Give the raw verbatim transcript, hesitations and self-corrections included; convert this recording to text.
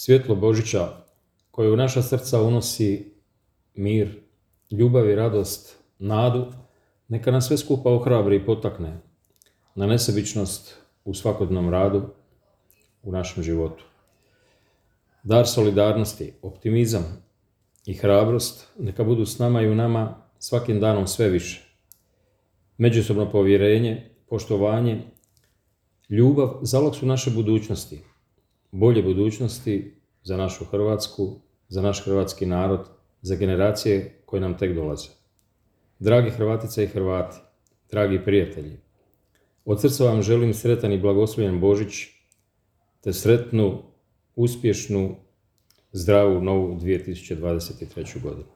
svjetlo Božića koje u naša srca unosi mir, ljubav i radost, nadu, neka nas sve skupa ohrabri i potakne na nesebičnost u svakodnevnom radu u našem životu. Dar solidarnosti, optimizam i hrabrost neka budu s nama i u nama svakim danom sve više. Međusobno povjerenje, poštovanje, ljubav zalog su naše budućnosti, bolje budućnosti za našu Hrvatsku, za naš hrvatski narod, za generacije koje nam tek dolaze. Dragi Hrvatice i Hrvati, dragi prijatelji, od srca vam želim sretan i blagoslovljen Božić, te sretnu, uspješnu, zdravu novu dvije tisuće dvadeset treću godinu.